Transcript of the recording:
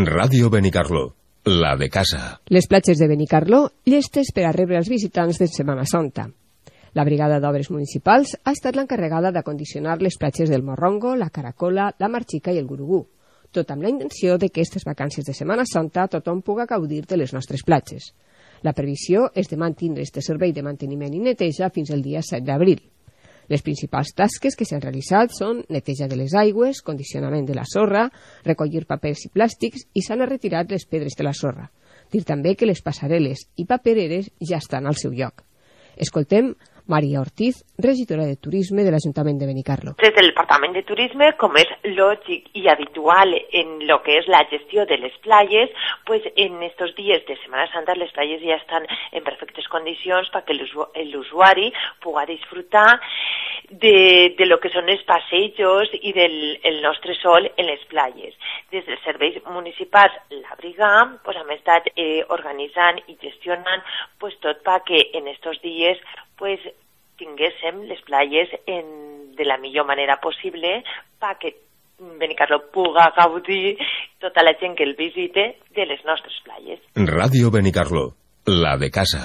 Ràdio Benicarló, la de casa. Les platges de Benicarló, llestes per a rebre els visitants de Setmana Santa. La Brigada d'Obres Municipals ha estat l'encarregada d'acondicionar les platges del Morrongo, la Caracola, la Marxica i el Gurugú, tot amb la intenció de que aquestes vacances de Setmana Santa tothom puga gaudir de les nostres platges. La previsió és de mantenir este servei de manteniment i neteja fins al dia 7 d'abril. Les principals tasques que s'han realitzat són neteja de les aigües, condicionament de la sorra, recollir papers i plàstics i s'han retirat les pedres de la sorra. Dir també que les passarel·les i papereres ja estan al seu lloc. Escoltem Maria Ortiz, regidora de Turisme de l'Ajuntament de Benicarló. Des del Departament de Turisme, com és lògic i habitual en lo que és la gestió de les platges, pues en estos dies de Setmana Santa les platges ja estan en perfectes condicions perquè l'usuari puga disfrutar de lo que són els passejos i del nostre sol en les platges. Des dels serveis municipals, la brigada pues, hem estat organitzant i gestionant pues, tot perquè en estos dies pues, tinguéssim les platges de la millor manera possible perquè Benicarló puga gaudir tota la gent que el visite de les nostres platges. Ràdio Benicarló, la de casa.